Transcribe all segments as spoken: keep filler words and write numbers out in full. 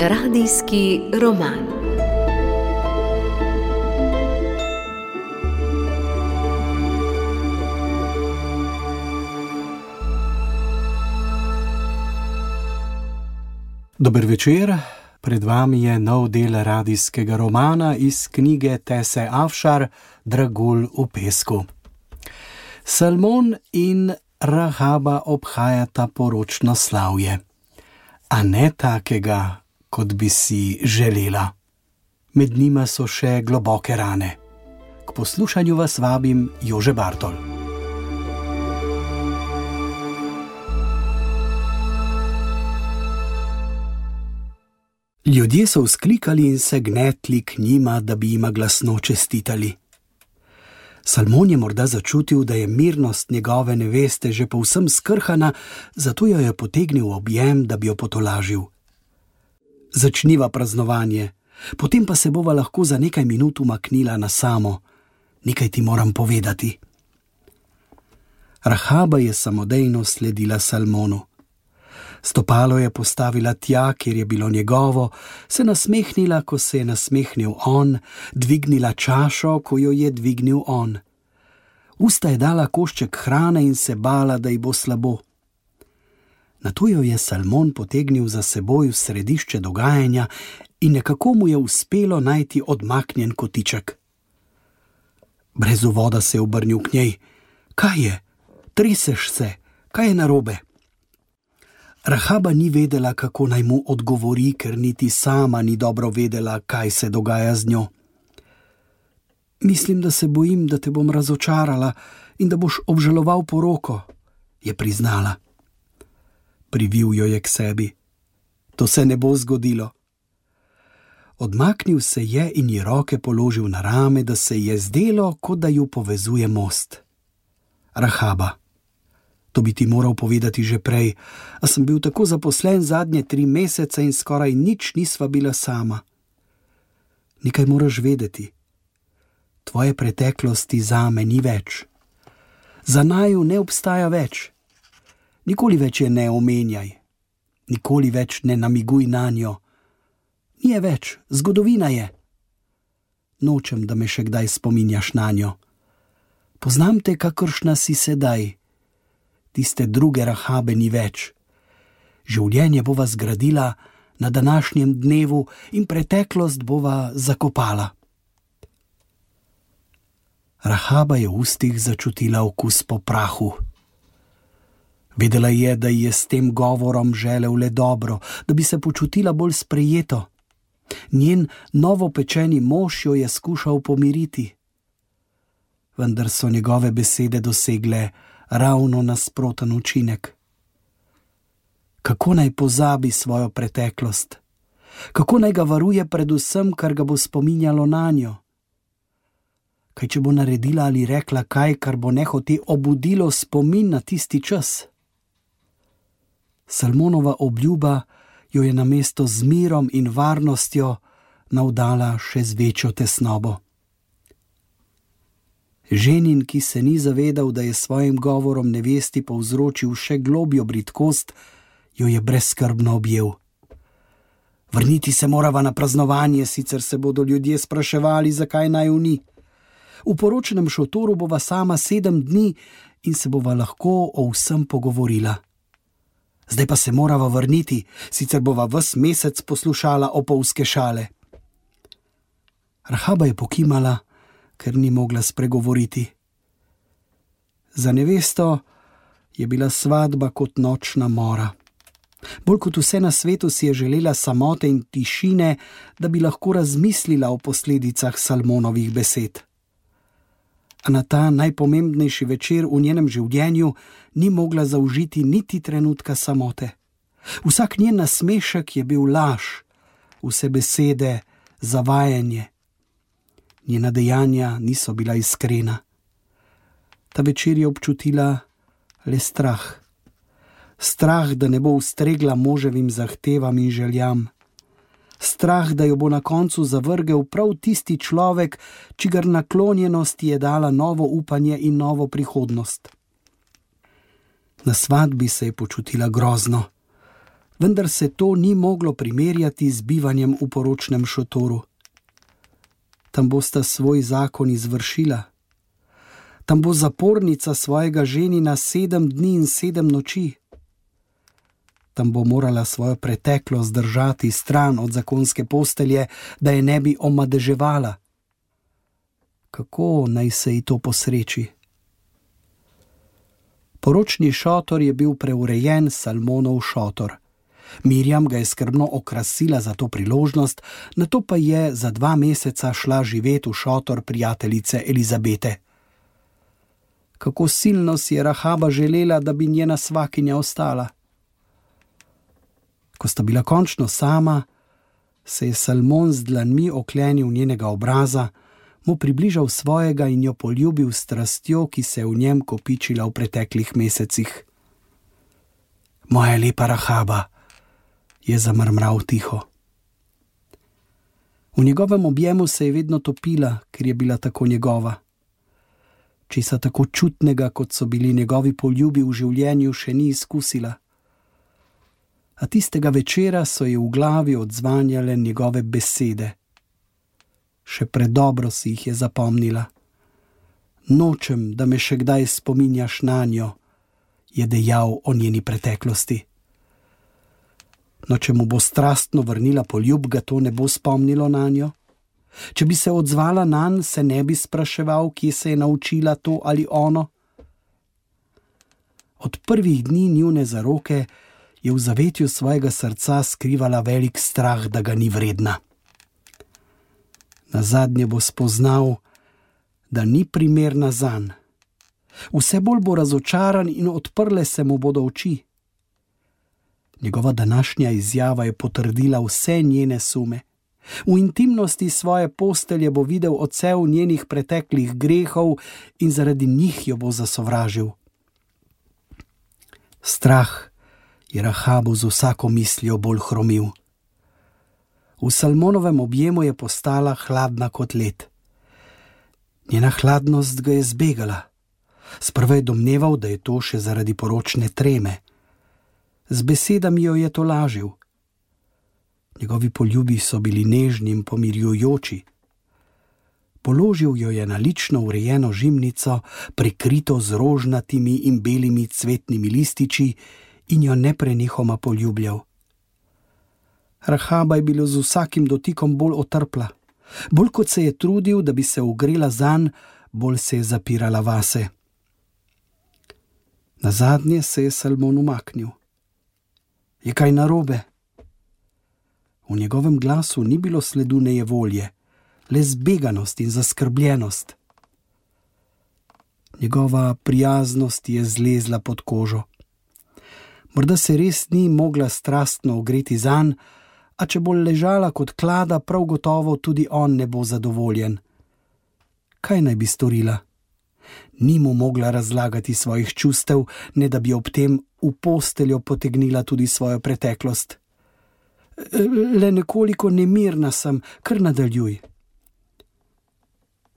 Radijski roman. Dober večer, pred vami je nov del radijskega romana iz knjige Tese Afšar Dragulj v pesku. Salmon in Rahaba obhajata poročno slavje, a ne takega, kot bi si želela. Med njima so še globoke rane. K poslušanju vas vabim Jože Bartol. Ljudje so vzklikali in se gnetli k njima, da bi jima glasno čestitali. Salmon je morda začutil, da je mirnost njegove neveste že povsem skrhana, zato jo je potegnil v objem, da bi jo potolažil. Začniva praznovanje, potem pa se bova lahko za nekaj minut umaknila na samo. Nekaj ti moram povedati. Rahaba je samodejno sledila Salmonu. Stopalo je postavila tja, kjer je bilo njegovo, se nasmehnila, ko se je nasmehnil on, dvignila čašo, ko jo je dvignil on. Usta je dala košček hrane in se bala, da ji bo slabo. Nato jo je Salmon potegnil za seboj v središče dogajanja in nekako mu je uspelo najti odmaknjen kotiček. Brez uvoda se je obrnil k njej. Kaj je? Treseš se? Kaj je narobe? Rahaba ni vedela, kako naj mu odgovori, ker niti sama ni dobro vedela, kaj se dogaja z njo. Mislim, da se bojim, da te bom razočarala in da boš obžaloval poroko, je priznala. Privil jo je k sebi. To se ne bo zgodilo. Odmaknil se je in ji roke položil na rame, da se je zdelo, kot da ju povezuje most. Rahaba. To bi ti moral povedati že prej, a sem bil tako zaposlen zadnje tri mesece in skoraj nič nisva bila sama. Nekaj moraš vedeti. Tvoje preteklosti zame ni več. Za naju ne obstaja več. Nikoli več je ne omenjaj. Nikoli več ne namiguj nanjo. Ni je več, zgodovina je. Nočem, da me še kdaj spominjaš nanjo. Poznam te, kakršna si sedaj. Tiste druge Rahabe ni več. Življenje bova zgradila na današnjem dnevu in preteklost bova zakopala. Rahaba je v ustih začutila okus po prahu. Vedela je, da ji je s tem govorom želel le dobro, da bi se počutila bolj sprejeto. Njen novopečeni mož jo je skušal pomiriti. Vendar so njegove besede dosegle ravno nasproten učinek. Kako naj pozabi svojo preteklost? Kako naj ga varuje pred vsem, kar ga bo spominjalo nanjo? Kaj če bo naredila ali rekla kaj, kar bo nehote obudilo spomin na tisti čas? Salmonova obljuba jo je namesto z mirom in varnostjo navdala še z večjo tesnobo. Ženin, ki se ni zavedal, da je svojim govorom nevesti povzročil še globjo bridkost, jo je brezskrbno objel. Vrniti se morava na praznovanje, sicer se bodo ljudje spraševali, zakaj naju ni. V poročnem šotoru bova sama sedem dni in se bova lahko o vsem pogovorila. Zdaj pa se morava vrniti, sicer bova ves mesec poslušala opolske šale. Rahaba je pokimala, ker ni mogla spregovoriti. Za nevesto je bila svadba kot nočna mora. Bolj kot vse na svetu si je želela samote in tišine, da bi lahko razmislila o posledicah Salmonovih besed. A na ta najpomembnejši večer v njenem življenju ni mogla zaužiti niti trenutka samote. Vsak njen nasmešek je bil laž, vse besede zavajanje. Njena dejanja niso bila iskrena. Ta večer je občutila le strah. Strah, da ne bo ustregla moževim zahtevam in željam. Strah, da jo bo na koncu zavrgel prav tisti človek, čigar naklonjenost je dala novo upanje in novo prihodnost. Na svadbi se je počutila grozno. vendar se to ni moglo primerjati z bivanjem v poročnem šotoru. Tam bosta svoj zakon izvršila. Tam bo zapornica svojega ženina sedem dni in sedem noči. Tam bo morala svojo preteklost držati stran od zakonske postelje, da je ne bi omadeževala. Kako naj se ji to posreči? Poročni šotor je bil preurejen Salmonov šotor. Mirjam ga je skrbno okrasila za to priložnost, nato pa je za dva meseca šla živet v šotor prijateljice Elizabete. Kako silno si je Rahaba želela, da bi njena svakinja ostala. Ko sta bila končno sama, se je Salmon z dlanmi oklenil njenega obraza, mu približal svojega in jo poljubil s strastjo, ki se je v njem kopičila v preteklih mesecih. Moja lepa Rahaba, je zamrmral tiho. V njegovem objemu se je vedno topila, ker je bila tako njegova. Česa tako čutnega, kot so bili njegovi poljubi v življenju, še ni izkusila. A tistega večera so ji v glavi odzvanjale njegove besede. Še predobro si jih je zapomnila. Nočem, da me še kdaj spominjaš nanjo, je dejal o njeni preteklosti. No, če mu bo strastno vrnila poljub, ga to ne bo spomnilo nanjo. Če bi se odzvala nanj, se ne bi spraševal, kje se je naučila to ali ono. Od prvih dni njune zaroke je v zavetju svojega srca skrivala velik strah, da ga ni vredna. Nazadnje bo spoznal, da ni primerna zanj. Vse bolj bo razočaran in odprle se mu bodo oči. Njegova današnja izjava je potrdila vse njene sume. V intimnosti svoje postelje bo videl odsev njenih preteklih grehov in zaradi njih jo bo zasovražil. Strah je Rahabu z vsako mislijo bolj hromil. V Salmonovem objemu je postala hladna kot led. Njena hladnost ga je zbegala. Sprva je domneval, da je to še zaradi poročne treme. Z besedami jo je tolažil. Njegovi poljubi so bili nežni in pomirjujoči. Položil jo je na lično urejeno žimnico, prekrito z rožnatimi in belimi cvetnimi lističi, in jo neprenehoma poljubljal. Rahaba je bila z vsakim dotikom bolj otrpla. Bolj kot se je trudil, da bi se ogrela zanj, bolj se je zapirala vase. Nazadnje se je Salmon umaknil. Je kaj narobe? V njegovem glasu ni bilo sledu nejevolje, le zbeganost in zaskrbljenost. Njegova prijaznost je zlezla pod kožo. Morda se res ni mogla strastno ogreti zanj, a če bo ležala kot klada, prav gotovo tudi on ne bo zadovoljen. Kaj naj bi storila? Ni mu mogla razlagati svojih čustev, ne da bi ob tem v posteljo potegnila tudi svojo preteklost. Le nekoliko nemirna sem, kar nadaljuj.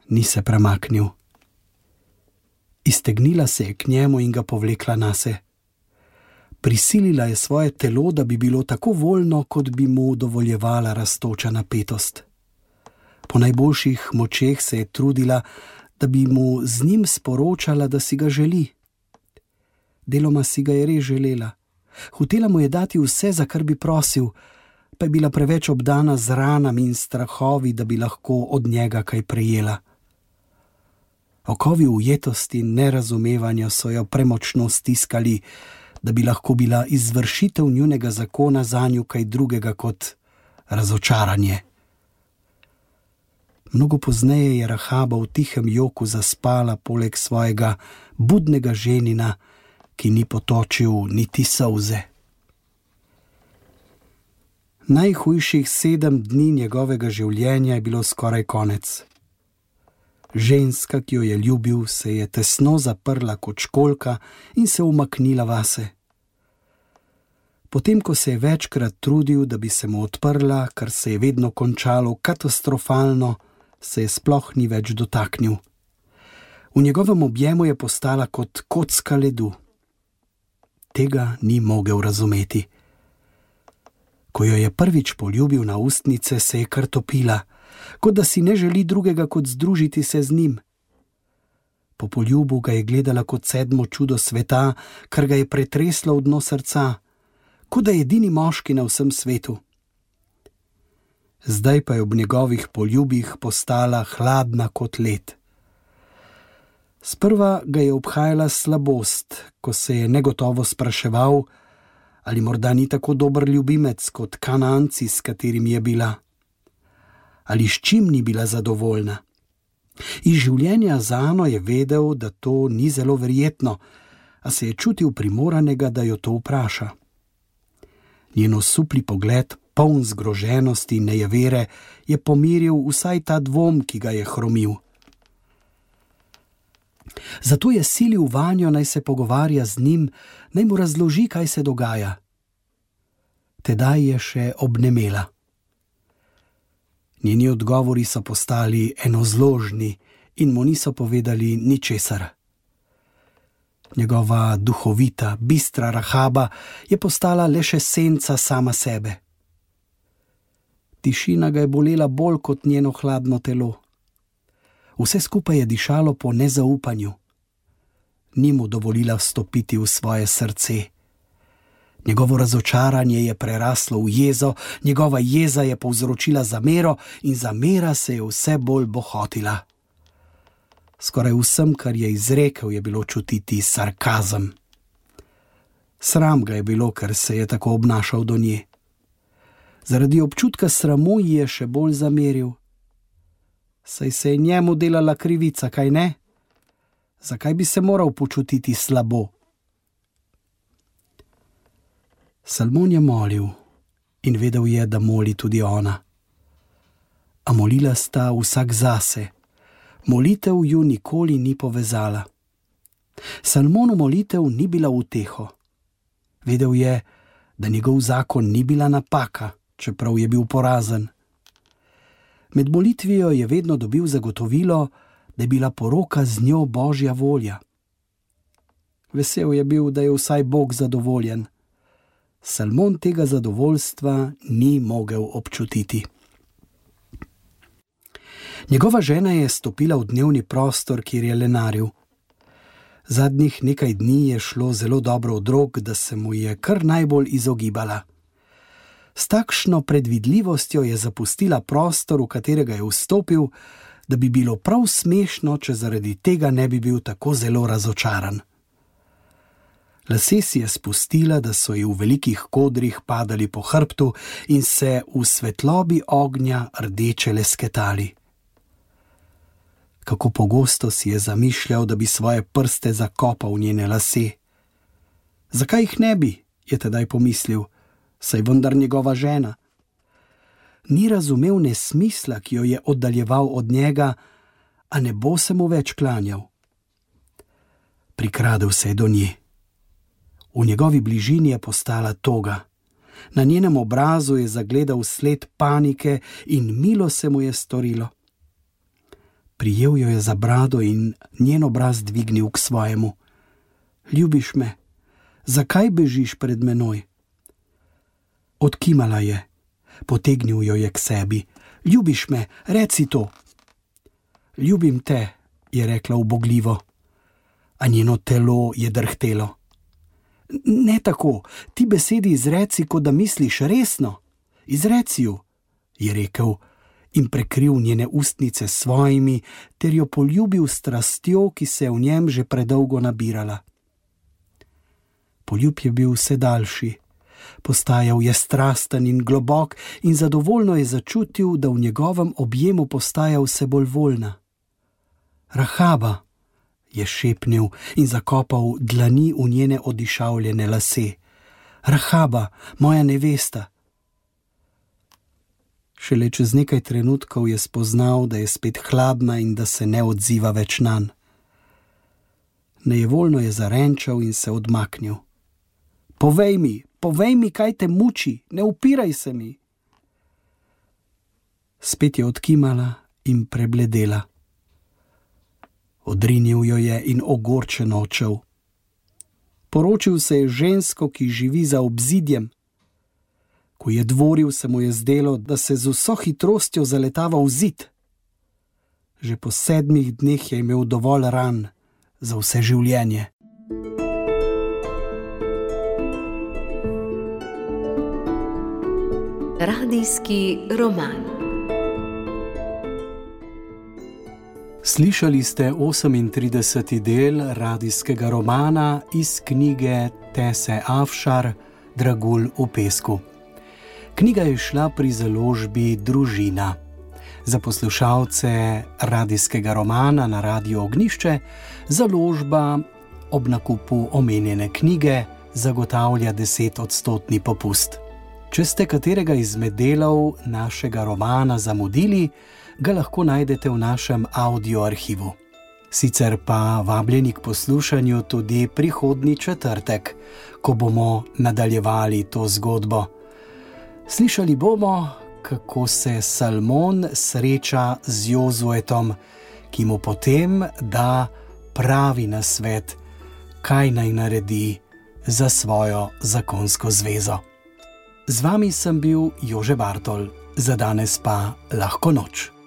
Ni se premaknil. Iztegnila se je k njemu in ga povlekla nase. Prisilila je svoje telo, da bi bilo tako voljno, kot bi mu dovoljevala rastoča napetost. Po najboljših močeh se je trudila, da bi mu z njim sporočala, da si ga želi. Deloma si ga je res želela. Hotela mu je dati vse, za kar bi prosil, pa je bila preveč obdana z ranami in strahovi, da bi lahko od njega kaj prejela. Okovi ujetosti in nerazumevanja so jo premočno stiskali, da bi lahko bila izvršitev njunega zakona zanju kaj drugega kot razočaranje. Mnogo pozneje je Rahaba v tihem joku zaspala poleg svojega budnega ženina, ki ni potočil niti solze. Najhujših sedem dni njegovega življenja je bilo skoraj konec. Ženska, ki jo je ljubil, se je tesno zaprla kot školjka in se umaknila vase. Potem, ko se je večkrat trudil, da bi se mu odprla, kar se je vedno končalo katastrofalno, se je sploh ni več dotaknil. V njegovem objemu je postala kot kocka ledu. Tega ni mogel razumeti. Ko jo je prvič poljubil na ustnice, se je kar topila, kot da si ne želi drugega kot združiti se z njim. Po poljubu ga je gledala kot sedmo čudo sveta, kar ga je pretreslo v dno srca, kot da je edini moški na vsem svetu. Zdaj pa je ob njegovih poljubih postala hladna kot led. Sprva ga je obhajala slabost, ko se je negotovo spraševal, ali morda ni tako dober ljubimec kot Kananci, s katerim je bila. Ali s čim ni bila zadovoljna. Iz življenja z Ano je vedel, da to ni zelo verjetno, a se je čutil primoranega, da jo to vpraša. Njen osupli pogled, poln zgroženosti in nejevere, je pomiril vsaj ta dvom, ki ga je hromil. Zato je silil vanjo, naj se pogovarja z njim, naj mu razloži, kaj se dogaja. Tedaj je še obnemela. Njeni odgovori so postali enozložni in mu niso povedali ničesar. Njegova duhovita, bistra Rahaba je postala le še senca sama sebe. Tišina ga je bolela bolj kot njeno hladno telo. Vse skupaj je dišalo po nezaupanju. Ni mu dovolila vstopiti v svoje srce. Njegovo razočaranje je preraslo v jezo, njegova jeza je povzročila zamero in zamera se je vse bolj bohotila. Skoraj vsem, kar je izrekel, je bilo čutiti sarkazem. Sram ga je bilo, ker se je tako obnašal do nje. Zaradi občutka sramu ji je še bolj zameril. Saj se je njemu delala krivica, kaj ne? Zakaj bi se moral počutiti slabo? Salmon je molil in vedel je, da moli tudi ona. A molila sta vsak zase. Molitev ju nikoli ni povezala. Salmonu molitev ni bila uteho. Vedel je, da njegov zakon ni bila napaka, čeprav je bil porazen. Med molitvijo je vedno dobil zagotovilo, da je bila poroka z njo Božja volja. Vesel je bil, da je vsaj Bog zadovoljen. Salmon tega zadovoljstva ni mogel občutiti. Njegova žena je stopila v dnevni prostor, kjer je lenaril. Zadnjih nekaj dni je šlo zelo dobro od rok, da se mu je kar najbolj izogibala. S takšno predvidljivostjo je zapustila prostor, v katerega je vstopil, da bi bilo prav smešno, če zaradi tega ne bi bil tako zelo razočaran. Lase si je spustila, da so ji v velikih kodrih padali po hrbtu in se v svetlobi ognja rdeče lesketali. Kako pogosto si je zamišljal, da bi svoje prste zakopal v njene lase. Zakaj jih ne bi, je tedaj pomislil, saj vendar njegova žena. Ni razumel nesmisla, ki jo je oddaljeval od njega, a ne bo se mu več klanjal. Prikradel se je do nje. V njegovi bližini je postala toga. Na njenem obrazu je zagledal sled panike in milo se mu je storilo. Prijel jo je za brado in njen obraz dvignil k svojemu. Ljubiš me? Zakaj bežiš pred menoj? Odkimala je. Potegnil jo je k sebi. Ljubiš me? Reci to. Ljubim te, je rekla ubogljivo, a njeno telo je drhtelo. Ne tako, ti besedi izreci, kot da misliš resno. Izreci ju, je rekel in prekril njene ustnice s svojimi, ter jo poljubil s strastjo, ki se je v njem že predolgo nabirala. Poljub je bil vse daljši. Postajal je strasten in globok in zadovoljno je začutil, da v njegovem objemu postaja vse bolj voljna. Rahaba, je šepnil in zakopal dlani v njene odišavljene lase. Rahaba, moja nevesta. Šele čez nekaj trenutkov je spoznal, da je spet hladna in da se ne odziva več nanj. Nejevoljno je zarenčal in se odmaknil. Povej mi, povej mi, kaj te muči, ne upiraj se mi. Spet je odkimala in prebledela. Odrinil jo je in ogorčeno odšel. Poročil se je žensko, ki živi za obzidjem. Ko je dvoril, se mu je zdelo, da se z vso hitrostjo zaletava v zid. Že po sedmih dneh je imel dovolj ran za vse življenje. Radijski roman. Slišali ste osemintrideseti del radijskega romana iz knjige Tese Afšar Dragulj v pesku. Knjiga je šla pri založbi Družina. Za poslušalce radijskega romana na Radiu Ognjišče založba ob nakupu omenjene knjige zagotavlja desetodstotni popust. Če ste katerega izmed delov našega romana zamudili, ga lahko najdete v našem audio arhivu. Sicer pa vabljeni k poslušanju tudi prihodnji četrtek, ko bomo nadaljevali to zgodbo. Slišali bomo, kako se Salmon sreča z Jozuetom, ki mu potem da pravi nasvet, kaj naj naredi za svojo zakonsko zvezo. Z vami sem bil Jože Bartol, za danes pa lahko noč.